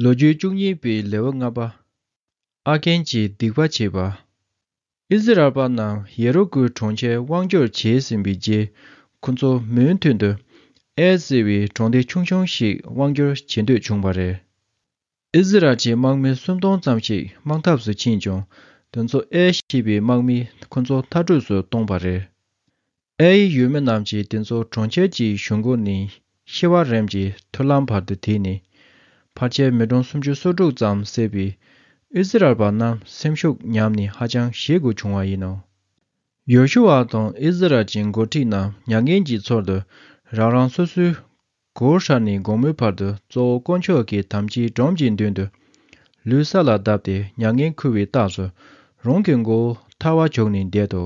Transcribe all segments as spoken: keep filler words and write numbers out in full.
ལོ་རྒྱུས་བཅུ་གཉིས་པའི་ལེའུ་ལྔ་པ། ཨ་ཀན་གྱིས་སྡིག་པ་བྱས་པ། ཨིསི་རཱཨེལ་པ་རྣམས་ཡེ་རི་ཀོའི་གྲོང་ཁྱེར་དབང་བསྒྱུར་བྱས་ཟིན་པའི་རྗེས། ཁོ་ཚོ་མུ་མཐུད་དུ་ཨེ་ཟེར་བའི་གྲོང་སྡེ་ཆུང་ཆུང་ཞིག་དབང་བསྒྱུར་བྱེད་འདོད་བྱུང་བ་རེད། ཨིསི་རཱཨེལ་གྱི་དམག་མི་སུམ་སྟོང་ཙམ་ཞིག་དམག་འཐབ་སུ་ཕྱིན་ཀྱང་། དེ་ཚོ་ཨེ་ཞེས་པའི་དམག་མིས་ཁོ་ཚོ་མཐར་སྐྲོད་སུ་གཏོང་བ་རེད། ཨེ་ཡི་ཡུལ་མི་རྣམས་ཀྱིས་དེ་ཚོ་གྲོང་ཁྱེར་གྱི་གཞུང་སྒོ་ནས་ཤི་བ་རིམ་གྱི་ཐུར་ལམ་བར་དུ་དེད་ནས། ཕལ་ཆེར་མི་གྲངས་སུམ་ཅུ་སོ་དྲུག་ཙམ་བསད་པས། ཨིསི་རཱཨེལ་པ་རྣམས་སེམས་ཤུགས་ཉམས་ནས་ཧ་ཅང་ཞེད་དགོས་བྱུང་བ་ཡིན་ནོ། ཡོ་ཤུ་ཨ་དང་ཨིསི་རཱཨེལ་གྱི་འགོ་ཁྲིད་རྣམས་མྱ་ངན་གྱི་ཚུལ་དུ་རང་རང་སོ་སོའི་གུར་ཧྲ་ནས་དགོང་མོའི་བར་དུ་གཙོ་བོ་དཀོན་མཆོག་གི་དམ་བཅའི་སྒྲོམ་གྱི་མདུན་དུ་ལུས་ས་ལ་བརྡབས་ཏེ་མྱ་ངན་འཁུར་བའི་རྟགས་སུ་རང་གི་མགོ་བོ་ཐལ་བར་བྱུགས་ནས་བསྡད་དོ།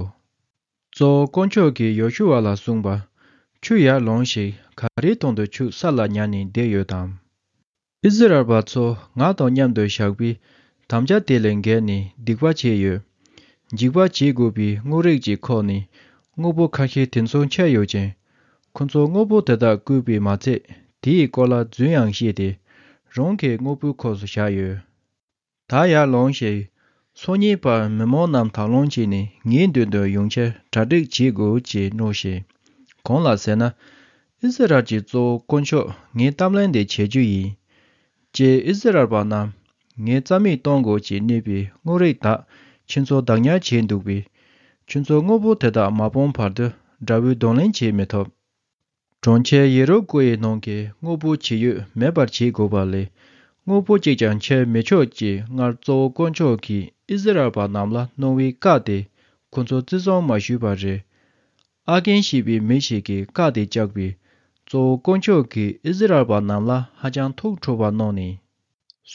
གཙོ་བོ་དཀོན་མཆོག་གིས་ཡོ་ཤུ་ཨ་ལ་གསུངས་པ། ཁྱོད་ཡར་ལོངས་ཤིག། ག་རེའི་དོན་དུ་ཁྱོད་ས་ལ་ཉལ་ནས་བསྡད་ཡོད་དམ། ཨིསི་རཱཨེལ་པ་ཚོ་ང་དང་མཉམ་དུ་བཞག་པའི་དམ་བཅའ་དེ་ལས་འགལ་ནས་སྡིག་པ་བྱས་ཡོད། འཇིགས་པ་བྱེད་དགོས་པའི་དངོས་རིགས་ཀྱི་ཁོག་ནས་དངོས་པོ་ཁ་ཤས་དེ་ཚོ་འཁྱེར་ཡོད་ཅིང་། ཁོ་ཚོ་དངོས་པོ་དེ་དག་བརྐུས་པས་མ་ཚད། དེའི་སྐོར་ལ་རྫུན་ཡང་བཤད་དེ། རང་གི་དངོས་པོའི་ཁོངས་སུ་བཞག་ཡོད། ད་ཡར་ལོངས་ཤིག། སང་ཉིན་བར་མི་མང་རྣམས་དང་བླངས་བྱས་ནས་ངའི་མདུན་དུ་ཡོང་ཕྱིར་གྲ་སྒྲིག་བྱེད་དགོས་ཅེས་སྨྲོས་ཤིག། གང་ལ་ཟེར་ན། ཨིསི་རཱཨེལ་གྱི་གཙོ་བོ་དཀོན་མཆོག་ངའི་གཏམ་ལན་འདི་བྱེད་རྒྱུ་ཡིན། ཅེས་ཨིསི་རཱཨེལ་པ་རྣམས་ངས་རྩ་མེད་གཏོང་དགོས་ཅེས་ནུས་པའི་དངོས་རིགས་དག་ཁྱེད་ཚོ་བདག་ཉར་བྱས་འདུག་པས། ཁྱེད་ཚོ་དངོས་པོ་དེ་དག་མ་སྤངས་བར་དུ་དགྲ་བོས་གདོང་ལེན་བྱེད་མི་ཐུབ། གྲོང་ཁྱེར་ཡེ་རི་ཀོ་ཡི་ནང་གི་དངོས་པོ་ཇི་ཡོད་མེད་པར་བྱེད་དགོས་པ་ལས། དངོས་པོ་གཅིག་ཀྱང་འཁྱེར་མི་ཆོག་ཅེས་སྔར་གཙོ་བོ་དཀོན་མཆོག་གིས་ཨིསི་རཱཨེལ་པ་རྣམས་ལ་གནང་བའི་བཀའ་དེ་ཁོ་ཚོ་བརྩི་སྲུང་མ་ཞུས་པ་རེད། ཨ་ཀན་ཞེས་པའི་མི་ཞིག་གིས་བཀའ་དེ་བཅག་པས། གཙོ་བོ་དཀོན་མཆོག་གིས་ཨིསི་རཱཨེལ་པ་རྣམས་ལ་ཧ་ཅང་ཐུགས་ཁྲོ་བ་གནང་ནས།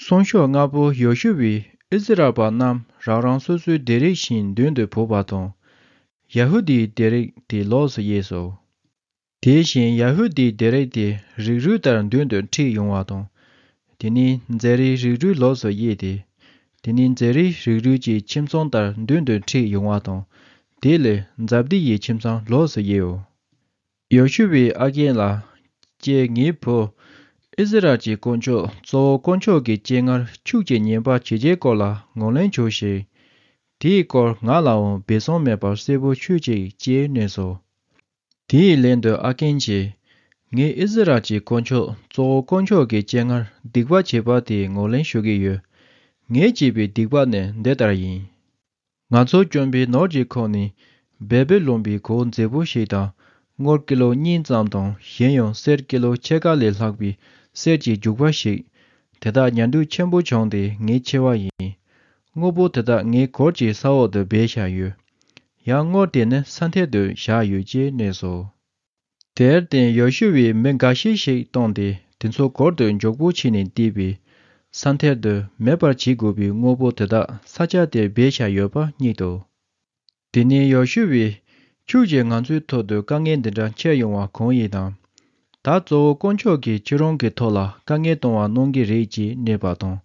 སང་ཞོགས་སྔ་པོ་ཡོ་ཤུ་ཨས་ཨིསི་རཱཨེལ་པ་རྣམས་རང་རང་སོ་སོའི་སྡེ་རིགས་བཞིན་མདུན་དུ་བོས་པ་དང་། ཡ་ཧུ་དཱའི་སྡེ་རིགས་དེ་ལོགས་སུ་དབྱེ་སོ། དེ་བཞིན་ཡ་ཧུ་དཱའི་སྡེ་རིགས་དེ་རིགས་རུས་ལྟར་མདུན་དུ་ཁྲིད་ཡོང་བ་དང་། དེ་ནས་ཛེ་རའི་རིགས་རུས་ལོགས་སུ་དབྱེ་སྟེ། དེ་ནས་ཛེ་རའི་རིགས་རུས་ཀྱི་ཁྱིམ་ཚང་ལྟར་མདུན་དུ་ཁྲིད་ཡོང་བ་དང་། དེ་ལས་ཛབ་དི་ཡི་ཁྱིམ་ཚང་ལོགས་སུ་དབྱེའོ། ཡོ་ཤུ་ཨས་ཨ་ཀན་ལ། ཀྱེ་ངའི་བུ། ཨིསི་རཱཨེལ་གྱི་དཀོན་མཆོག་གཙོ་བོ་དཀོན་མཆོག་གི་སྤྱན་སྔར་ཁྱོད་ཀྱིས་ཉེས་པ་བྱས་རྗེས་སྐོར་ལ་ངོས་ལེན་བྱོས་ཤིག། དེའི་སྐོར་ང་ལའང་སྦས་གསང་མེད་པར་གསལ་པོ་ཤོད་ཅིག་ཅེས་སྨྲས་སོ། དེའི་ལན་དུ་ཨ་ཀན་གྱིས། ངས་ཨིསི་རཱཨེལ་གྱི་དཀོན་མཆོག་གཙོ་བོ་དཀོན་མཆོག་གི་སྤྱན་སྔར་སྡིག་པ་བྱས་པ་དེ་ངོས་ལེན་ཞུ་གི་ཡོད། ངས་བྱས་པའི་སྡིག་པ་ནི་འདི་ལྟར་ཡིན། ང་ཚོ་གྱོན་པའི་ནོར་གྱི་ཁོག་ནས་བེལ་པོས་ལོན་པའི་གོས་མཛེས་པོ་ཞིག་དང་། དངུལ་ཀི་ལོ་གཉིས་ཙམ་དང་། གཞན་ཡང་གསེར་ཀི་ལོ་ཕྱེད་ཀ་ལས་ལྷག་པའི་གསེར་གྱི་རྒྱུག་པ་ཞིག། དེ་དག་ཉར་འདུག་ཆེན་པོ་བྱུང་སྟེ་ངའི་ཆེ་བ་ཡིན། དངོས་པོ་དེ་དག་ངའི་གུར་གྱི་ས་འོག་ཏུ་སྦས་བཞག་ཡོད། ཡང་དངུལ་དེ་ནི་ས་མཐིལ་དུ་བཞག་ཡོད་ཅེས་སྨྲས་སོ། དེར་བརྟེན་ཡོ་ཤུ་ཨས་མི་འགའ་ཤས་ཤིག་བཏང་སྟེ་དེ་ཚོ་གུར་དུ་མགྱོགས་པོ་ཕྱིན་ནས་བསྡུས་པས། ས་མཐིལ་དུ་མེད་པར་བྱེད་དགོས་པའི་དངོས་པོ་དེ་དག་ས་ཆ་དེར་སྦས་བཞག་ཡོད་པ་རྙེད་དོ། དེ་ནས་ཡོ་ཤུ་ཨས། ཁྱོད་ཀྱིས་ང་ཚོའི་ཐོག་ཏུ་དཀའ་ངལ་འདི་འདྲ་འཁྱེར་ཡོང་བ་གང་ཡིན་དམ། ད་གཙོ་བོ་དཀོན་མཆོག་གིས་ཁྱེད་རང་གི་ཐོག་ལ་དཀའ་ངལ་གཏོང་བ་གནང་གི་རེད་ཅེས་སྨྲས་པ་དང་།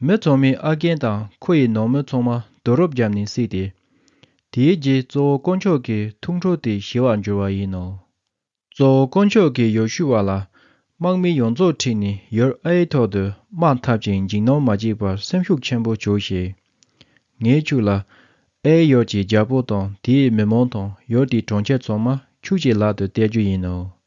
མི་ཚང་མས་ཨ་ཀན་དང་ཁོ་ཡི་ནང་མི་ཚང་མ་རྡོ་རུབ་བརྒྱབ་ནས་བསྲེགས་ཏེ། དེའི་རྗེས་གཙོ་བོ་དཀོན་མཆོག་གི་ཐུགས་ཁྲོ་དེ་ཞི་བར་འགྱུར་བ་ཡིན་ནོ། གཙོ་བོ་དཀོན་མཆོག་གིས་ཡོ་ཤུ་ཨ་ལ། དམག་མི་ཡོངས་རྫོགས་ཁྲིད་ནས་ཡུལ་ཨའི་ཐོག་ཏུ་དམག་འཐབ་ཅིང་འཇིགས་སྣང་མ་བྱེད་པར་སེམས་ཤུགས་ཆེན་པོ་བྱོས་ཤིག། ངས་ཁྱོད་ལ། ཨའི་ཡུལ་གྱི་རྒྱལ་པོ་དང་དེའི་མི་མང་དང་ཡུལ་དེའི་གྲོང་ཁྱེར་ཚང་མ་ཁྱོད་ཀྱི་ལག་ཏུ་གཏད་རྒྱུ་ཡིན་ནོ།